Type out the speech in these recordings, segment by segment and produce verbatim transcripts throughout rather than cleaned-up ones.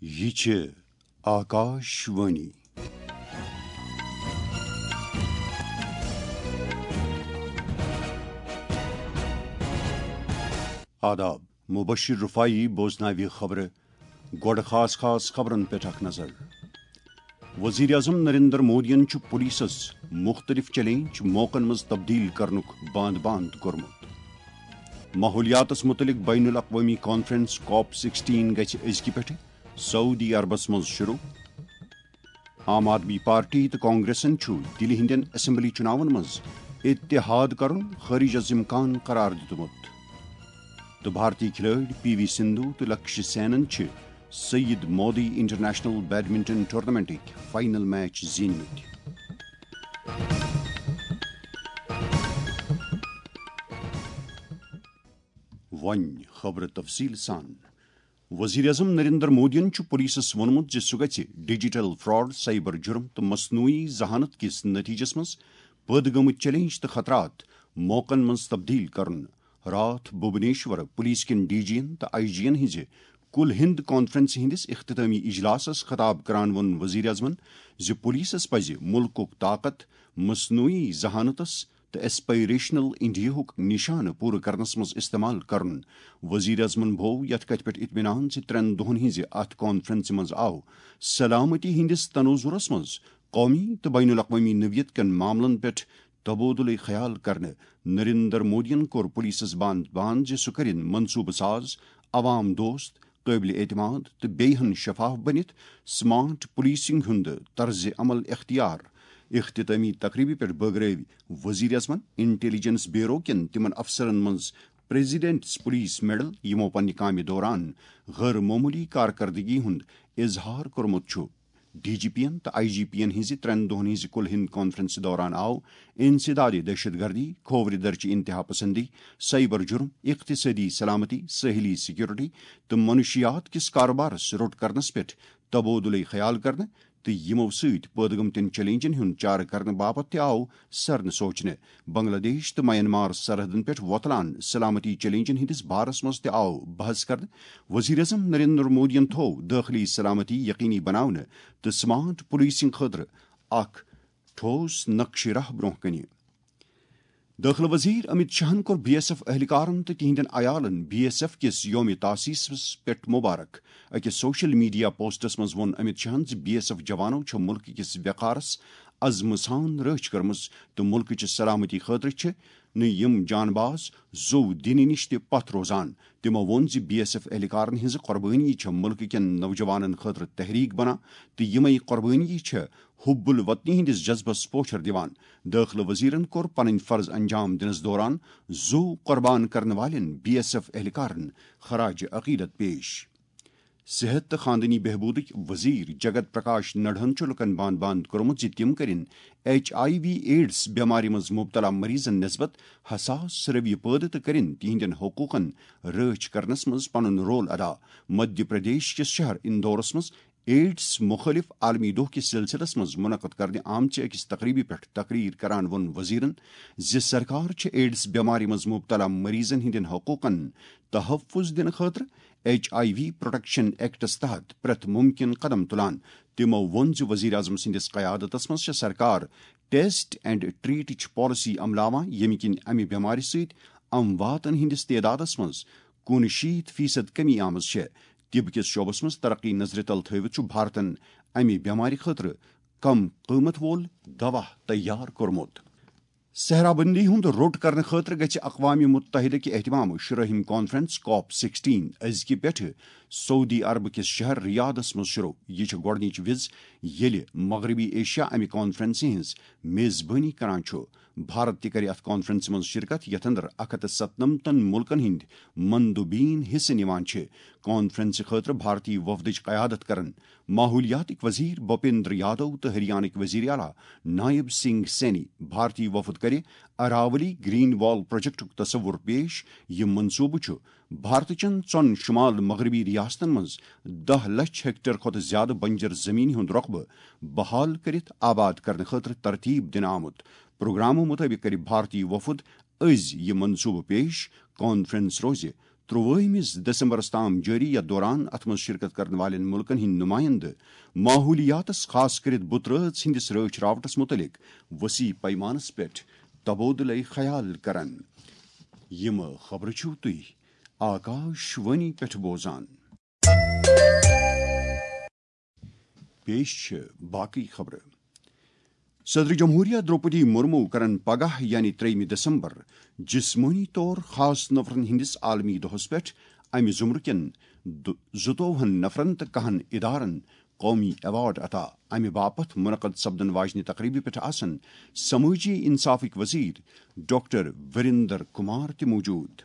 یہِ چھِ آکاش وانی۔ آداب، مبشر رفاعی بوزناوِ خبرٕ۔ گۄڈٕ خاص خاص خبرن پٮ۪ٹھ اکھ نظر۔ وزیر اعظم نریندر مودیَن چھُ پولیسَس مُختٔلِف چیلنج موقعن منٛز تبدیل کرنُک باند باند کوٚرمُت۔ ماحولیاتَس مُتعلِق بین الاقوٲمی کانفرنس کاپ سکسٹین گژھِ أزکہِ پٮ۪ٹھٕ سعودی عربس منٛز شروع۔ عام آدمی پارٹی تہٕ کانگریسن چھُ دِلہِ ہٕنٛدٮ۪ن اسمبلی چُناون منٛز اتحاد کرُن خٲرج از امکان قرار دیُتمُت۔ تہٕ بھارتی کھلٲڑۍ پی وی سندھو تہٕ لکشیہ سینن چھِ سید مودی انٹرنیشنل بیڈمنٹن ٹورنامنٹٕکۍ فائنل میچ زیٖنمٕتۍ۔ وۄنۍ خبرٕ تفصیل سان۔ وزیر اعظم نریندر مودیَن چھُ پولیسَس ووٚنمُت زِ سُہ گژھِ ڈیجیٹل فراڈ، سائبر جرم تہٕ مصنوعی ذہانت کِس نتیجس منٛز پٲدٕ گٔمٕتۍ چیلنج تہٕ خطرات موقعن منٛز تبدیل کرُن۔ راتھ بھوبنیشور پولیس کٮ۪ن ڈی جین تہٕ آئی جین ہٕنٛزِ کُل ہند کانفرنسہِ ہٕنٛدِس اختتامی اجلاسَس خطاب کران ووٚن وزیر اعظمَن زِ پولیسَس پزِ مُلکُک طاقت مصنوعی ذہانتس تہٕ ایسپائریشنل انڈیاہُک نشانہٕ پوٗرٕ کرنس منٛز استعمال کرُن۔ وزیر اعظمَن بھوو یتھ کتھِ پٮ۪ٹھ اطمینان زِ ترٛٮ۪ن دۄہَن ہٕنٛزِ اتھ کانفرنسہِ منٛز آو سلامتی ہٕنٛدِس تناظرس منٛز قومی تہٕ بین الاقوٲمی نوعیت کٮ۪ن معاملن پٮ۪ٹھ تبادلہ خیال کرنہٕ۔ نریندر مودیَن کوٚر پولیسَس باند باند زِ سُہ کرِ منصوبہٕ ساز، عوام دوست، قٲبلِ اعتماد تہٕ بیٚیہِ ہن شفاف بٔنِتھ سمارٹ پولیسنگ ہُنٛد طرزِ عمل اختیار۔ اختتامی تقریبہِ پٮ۪ٹھ بٲگرٲوۍ وزیر اعظمَن انٹیلیجنس بیورو کٮ۪ن تِمن افسرن منٛز پریزیڈنٹس پولیس میڈل، یِمو پننہِ کامہِ دوران غٲر معموٗلی کارکردگی ہُنٛد اظہار کوٚرمُت چھُ۔ ڈی جی پی ین تہٕ آئی جی پی ین ہٕنٛزِ ترٛٮ۪ن دۄہَن ہٕنٛزِ کُل ہند کانفرنسہِ دوران آو انسداد دہشت گردی، کھوورِ درچہِ انتہا پسندی، سائبر جرم، اقتصٲدی سلامتی، ساحلی سیکورٹی تہٕ منشیات کِس کارٕبارس روٚٹ کرنس پٮ۪ٹھ تبادلہ خیال کرنہٕ تہٕ یِمو سۭتۍ پٲدٕ گٔمتٮ۪ن چیلنجن ہُنٛد چارٕ کرنہٕ باپتھ تہِ آو سرنہٕ سوچنہٕ۔ بنگلہ دیش تہٕ میانمار سرحدن پٮ۪ٹھ وۄتلان سلامتی چیلنجن ہٕنٛدِس بارس منٛز تہِ آو بحث کرنہٕ۔ وزیر اعظم نریندر مودیَن تھوو دٲخلی سلامتی یقینی بناونہٕ تہٕ سمارٹ پولیسنگ خٲطرٕ اکھ ٹھوس نقشہِ راہ برونٛہہ کنہِ۔ دٲخلہٕ وزیر امت شاہن کوٚر بی ایس ایف اہلکارن تہٕ تِہنٛدٮ۪ن عیالن بی ایس ایف کِس یوم تاسیسس پٮ۪ٹھ مبارک۔ أکِس سوشل میڈیا پوسٹس منٛز ووٚن امت شاہن زِ بی ایس ایف جوانو چھےٚ مُلکہٕ کِس وقارس عزمہٕ سان رٲچھ کٔرمٕژ تہٕ مُلکٕچہِ سلامتی خٲطرٕ چھِ نہٕ یِم جانباز زوٚو دِنہٕ نِش تہِ پتھ روزان۔ تِمو ووٚن زِ بی ایس ایف اہلکارن ہٕنٛزٕ قۄربٲنی چھےٚ مُلکہٕ کٮ۪ن نوجوانن خٲطرٕ تحریک بنان تہٕ یِمے قۄربٲنی چھےٚ حب الوطنی ہٕنٛدِس جذبس پوچھر دِوان۔ دٲخلہٕ وزیرن کوٚر پنٕنۍ فرض انجام دِنس دوران زوٚو قۄربان کرن والٮ۪ن بی ایس ایف اہلکارن خراج عقیدت پیش۔ صحت تہٕ خاندٲنی بہبوٗدٕکۍ وزیر جگت پرکاش نڈہن چھُ لوٗکَن باند باند کوٚرمُت زِ تِم کٔرِن ایچ آئی وی ایڈز بٮ۪مارِ منٛز مُبتلا مریضَن نسبت حساس رویہ پٲدٕ تہٕ کٔرِن تِہنٛدٮ۪ن حقوٗقَن رٲچھ کرنَس منٛز پنُن رول ادا۔ مدھیہ پردیش کِس شہر اندورَس منٛز ایڈز مُخٲلِف عالمی دۄہ کِس سلسلس منٛز منعقد کرنہٕ آمژِ أکِس تقریبہِ پٮ۪ٹھ تقریر کران ووٚن وزیرَن زِ سرکار چھِ ایڈز بٮ۪مارِ منٛز مُبتلا مریضَن ہٕنٛدٮ۪ن حقوٗقَن تحفظ دِنہٕ خٲطرٕ ایچ آئی وی پروٹیکشن ایکٹس تحت پرٛٮ۪تھ مُمکِن قدم تُلان۔ تِمو ووٚن زِ وزیر اعظم سٕنٛدِس قیادتس منٛز چھےٚ سرکار ٹیسٹ اینڈ ٹریٹٕچ پالیسی عملاوان، ییٚمہِ کِنۍ امہِ بٮ۪مارِ سۭتۍ امواتن ہٕنٛدِس تعدادس منٛز کُنشیٖتھ فیصد کمی آمٕژ چھےٚ۔ طب کِس شعبس منٛز ترقی نظرِ تل تھٲوِتھ چھُ بھارتن امہِ بٮ۪مارِ خٲطرٕ کم قۭمتھ وول دوا تیار کوٚرمُت۔ صحرا بندی ہُنٛد روٚٹ کرنہٕ خٲطرٕ گژھِ اقوام متحدہ کہِ اہتمام شُرٲہِم کانفرنس کاپ سکسٹین أزکہِ پٮ۪ٹھٕ سعودی عرب کِس شہر ریاضس منٛز شروع۔ یہِ چھِ گۄڈٕنِچ وِز ییٚلہِ مغربی ایشیا امہِ کانفرنسہِ ہٕنٛز میزبٲنی کران چھُ۔ بھارت تہِ کرِ اتھ کانفرنسہِ منٛز شرکت، یتھ اندر اکھ ہتھ تہٕ ستنمتن مُلکن ہٕنٛدۍ مندوبین حصہٕ نِوان چھِ۔ کانفرنسہِ خٲطرٕ بھارتی وفدٕچ قیادت کرن ماحولیاتٕکۍ وزیر بھوپیندر یادو تہٕ ہریانٕکۍ وزیر اعلیٰ نائب سنگھ سینی۔ بھارتی وفد کرِ اراولی گرین وال پروجیکٹُک تصور پیش۔ یہِ منصوبہٕ چھُ بھارتٕچن ژۄن شمال مغربی ریاستن منٛز دَہ لچھ ہیکٹر کھۄتہٕ زیادٕ بنجر زمینہِ ہُنٛد رقبہٕ بحال کٔرِتھ آباد کرنہٕ خٲطرٕ ترتیب دِنہٕ آمُت۔ پروگرامہٕ مُطٲبِق کرِ بھارتی وفد أزۍ یہِ منصوبہٕ پیش۔ کانفرنس روزِ ترٛوٲہمِس دسمبرس تام جٲری۔ یتھ دوران اتھ منٛز شرکت کرن والٮ۪ن مُلکن ہٕنٛدۍ نُمایندٕ ماحولیاتس، خاص کٔرِتھ بُترٲژ ہٕنٛدِس رٲچھ راوٹس مُتعلق وسیع پیمانس پٮ۪ٹھ تبادلہٕ خیال کرن۔ یِم خبرٕ چھِو تُہۍ آکاش وانی پٮ۪ٹھ بوزان۔ پیش چھِ باقٕے خبرٕ۔ صدر جمہوریہ درٛوپدی مُرموٗ کرن پگاہ، یعنی ترٛیٚیِمہِ دسمبر، جسمٲنی طور خاص نفرن ہٕنٛدِس عالمی دۄہس پٮ۪ٹھ امہِ زمرٕ کٮ۪ن دُ-، زٕتووُہن نفرن تہٕ کاہن ادارن قومی ایوارڈ عطا۔ امہِ باپتھ منعقد سپدن واجنہِ تقریبہِ پٮ۪ٹھ آسن سمٲجی انصافٕکۍ وزیر ڈاکٹر وریندر کمار تہِ موجود۔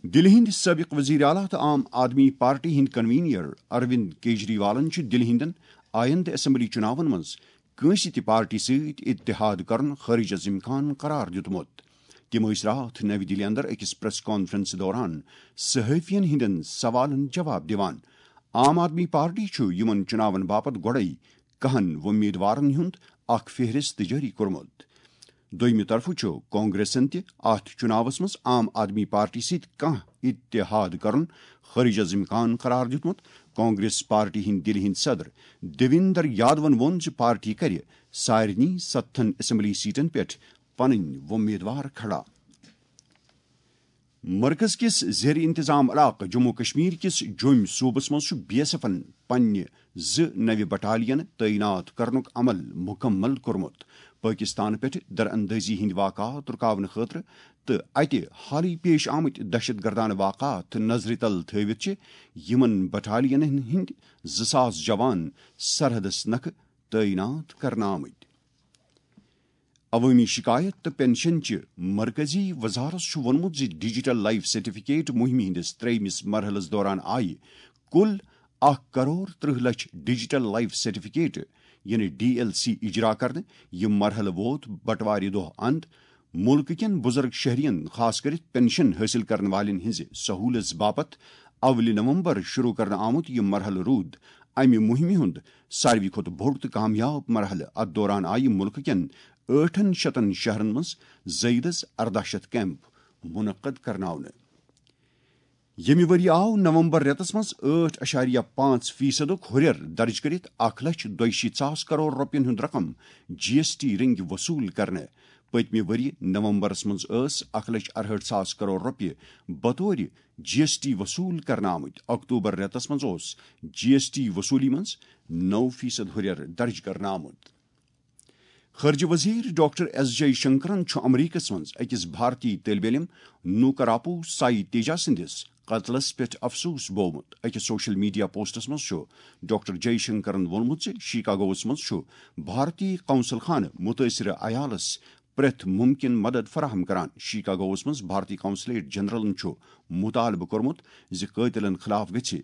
دِلہِ ہٕنٛدۍ سٲبق وزیر اعلیٰ تہٕ عام آدمی پارٹی ہٕنٛدۍ کنوینر اروند کیجریوالن چھُ دِلہِ ہٕنٛدٮ۪ن آیندٕ اسمبلی چُناون منٛز کٲنٛسہِ تہِ پارٹی سۭتۍ اتحاد کرُن خارج از امکان قرار دیُتمُت۔ تِم ٲسۍ راتھ نَوِ دِلہِ اندر أکِس پریس کانفرنس دوران صحافین ہٕنٛدٮ۪ن سوالن جواب دِوان۔ عام آدمی پارٹی چھُ یِمن چُناون باپتھ گۄڈَے کہن وۄمیدوارن ہُنٛد اکھ فہرست جٲری کوٚرمُت۔ دوٚیمہِ طرفہٕ چھُ کانگریسن تہِ اتھ چُناوس منٛز عام آدمی پارٹی سۭتۍ کانٛہہ اتحاد کرُن خارج از امکان قرار دیُتمُت۔ کانگریس پارٹی ہٕنٛدۍ دِلہِ ہٕنٛدۍ صدر دیویندر یادون ووٚن زِ پارٹی کرِ سارنٕے ستتھن اسمبلی سیٹن پٮ۪ٹھ پنٕنۍ وۄمیدوار کھڑا۔ مرکز کِس زیر انتظام علاقہٕ جموں و کشمیر کِس جوٚمۍ صوبس منٛز چھُ بی ایس ایفن پننہِ زٕ نوِ بٹالین تعینات کرنُک عمل مکمل کوٚرمُت۔ پٲکستان پٮ۪ٹھ دراندٲزی ہٕنٛدۍ واقعات رُکاونہٕ خٲطرٕ تہٕ اتہِ حالٕے پیش آمٕتۍ دہشت گردانہٕ واقعات نظرِ تل تھٲوِتھ چھِ یِمن بٹالینن ہٕنٛدۍ زٕ ساس جوان سرحدس نکھٕ تعینات کرنہٕ آمٕتۍ۔ عوٲمی شکایت تہٕ پنشن چہِ مرکزی وزارت چھُ ووٚنمُت زِ ڈیجیٹل لائف سرٹیفکیٹ مُہِمہِ ہٕنٛدِس ترٛیٚیمِس مرحلَس دوران آیہِ کُل اکھ کرور ترٕٛہ لچھ ڈیجیٹل لائف سرٹیفکیٹ، یعنی ڈی ایل سی، اجرا کرنہٕ۔ یہِ مرحلہٕ ووت بٹوارِ دۄہ اند۔ مُلکہٕ کٮ۪ن بُزرگ شہرین، خاص کٔرِتھ پنشن حٲصِل کرن والٮ۪ن ہٕنٛزِ سہوٗلژ باپتھ اولِ نومبر شروع کرنہٕ آمُت یہِ مرحلہٕ روٗد امہِ مُہِمہِ ہُنٛد ساروی کھۄتہٕ بوٚڑ تہٕ کامیاب مرحلہٕ۔ اتھ دوران آیہِ مُلکہٕ کٮ۪ن ٲٹھن شتن شہرن منٛز زٲیدس ارداہ شتھ کیمپ منعقد کرناونہٕ۔ ییٚمہِ ؤرۍ آو نومبر رٮ۪تس منٛز ٲٹھ اَشاریہ پانٛژھ فیصدُک ہُرٮ۪ر درٕج کٔرِتھ اکھ لچھ دۄیہِ شیٖتھ ساس کرور رۄپین ہُنٛد رقم جی ایس ٹی رٔنگۍ وصوٗل کرنہٕ۔ پٔتمہِ ؤرۍ نومبرس منٛز ٲس اکھ لچھ ارہٲٹھ ساس کرور رۄپیہِ بطور جی ایس ٹی وصوٗل کرنہٕ آمٕتۍ۔ اکتوبر رٮ۪تس منٛز اوس جی ایس ٹی وصوٗلی منٛز نو فیصد ہُرٮ۪ر درٕج کرنہٕ آمُت۔ خارجہ وزیر ڈاکٹر ایس جے شنکرن چھُ امریکس منٛز أکِس بھارتی طٲلبِ علم نوکراپو سائی تیجا سٕنٛدِس قتلس پٮ۪ٹھ افسوس بوومُت۔ أکِس سوشل میڈیا پوسٹس منٛز چھُ ڈاکٹر جے شنکرن ووٚنمُت زِ شیکاگوس منٛز چھُ بھارتی قونصل خانہٕ مُتٲثرٕ عیالس پرٛٮ۪تھ مُمکِن مدد فراہم کران۔ شیکاگوس منٛز بھارتی قونصلیٹ جنرلن چھُ مُطالبہٕ کوٚرمُت زِ قٲتلن خلاف گژھِ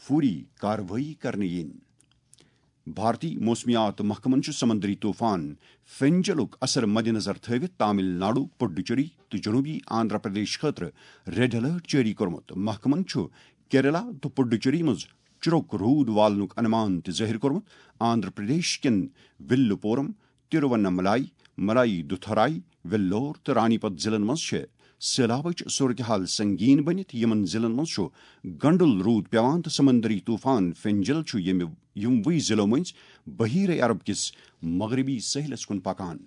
فوری کاروٲیی کرنہٕ یِنۍ۔ بھارتی موسمیات محکمن چھُ سمندری طوفان فینجلُک اثر مدنظر تھٲوِتھ تامل ناڈو، پڈوچیری تہٕ جنوبی آندھرا پردیش خٲطرٕ ریڈ الرٹ جٲری کوٚرمُت۔ محکمن چھُ کیرلا تہٕ پڈوچیری منٛز چُرُک روٗد والنُک انمان تہِ ظٲہِر کوٚرمُت۔ آندھرا پردیش کٮ۪ن وِلُپورم، تِروَنَملائی، ملائیدُتھرائی، ویلور تہٕ رانی پت ضلعن منٛز چھِ سیلابٕچ صورتحال سنگین بٔنِتھ۔ یِمن ضلعن منٛز چھُ گنڈُل روٗد پٮ۪وان تہٕ سمندری طوفان فینجل چھُ ییٚمہِ، یِموٕے ضلعو مٔنٛزۍ بحیرہ عرب کِس مغربی سٲحلس کُن پکان۔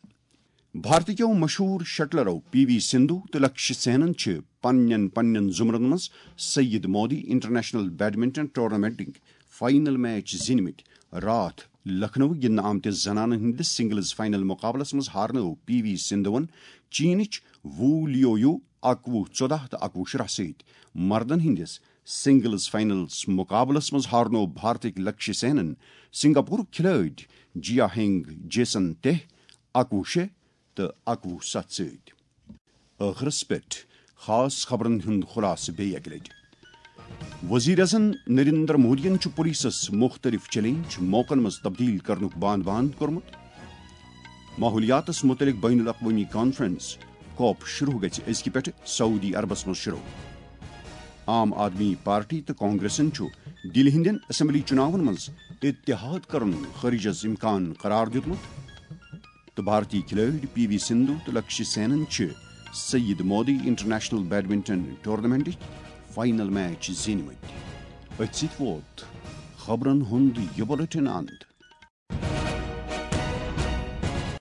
بھارتٕکیو مشہوٗر شٹلرو پی وی سندھو تہٕ لکشی سینن چھِ پننٮ۪ن پننٮ۪ن زمرن منٛز سید مودی انٹرنیشنل بیڈمنٹن ٹورنامنٹٕکۍ فائنل میچ زیٖنمٕتۍ۔ راتھ لکھنؤ گِنٛدنہٕ آمتِس زنانن ہٕنٛدِس سنگلز فائنل مقابلس منٛز ہارنٲو پی وی سندھوَن چینٕچ وو لیو یو اکوُہ ژۄداہ تہٕ اکوُہ شُراہ سۭتۍ۔ مردن ہٕنٛدِس سنگلز فائنلس مقابلس منٛز ہارنوو بھارتٕکۍ لکشی سینن سنگاپورُک کھلٲڑۍ جیا ہینگ جیسن تہ اکوُہ شےٚ تہٕ اکوُہ ستھ سۭتۍ۔ ٲخرس پٮ۪ٹھ خاص خبرن ہُنٛد خلاصہٕ بیٚیہِ اکہِ لٹہِ۔ وزیر اعظم نریندر مودیَن چھُ پولیسس مُختٔلِف چیلنج موقعن منٛز تبدیل کرنُک باند باند کوٚرمُت۔ ماحولیاتس مُتعلق بین الاقوٲمی کانفرنس کوپ شروع گژھِ أزکہِ پٮ۪ٹھٕ سعودی عربس منٛز شروع۔ عام آدمی پارٹی تہٕ کانگریسن چھُ دِلہِ ہٕنٛدٮ۪ن اسمبلی چُناون منٛز اتحاد کرُن خارج از امکان قرار دیُتمُت۔ تہٕ بھارتی کھلٲڑۍ پی وی سندھو تہٕ لکشی سینن چھِ سعید مودی انٹرنیشنل بیڈمنٹن ٹورنامنٹٕکۍ فائنل میچ زیٖنۍ مٕتۍ۔ أتھۍ سۭتۍ ووت خبرن ہُنٛد یہِ بُلٹن اند۔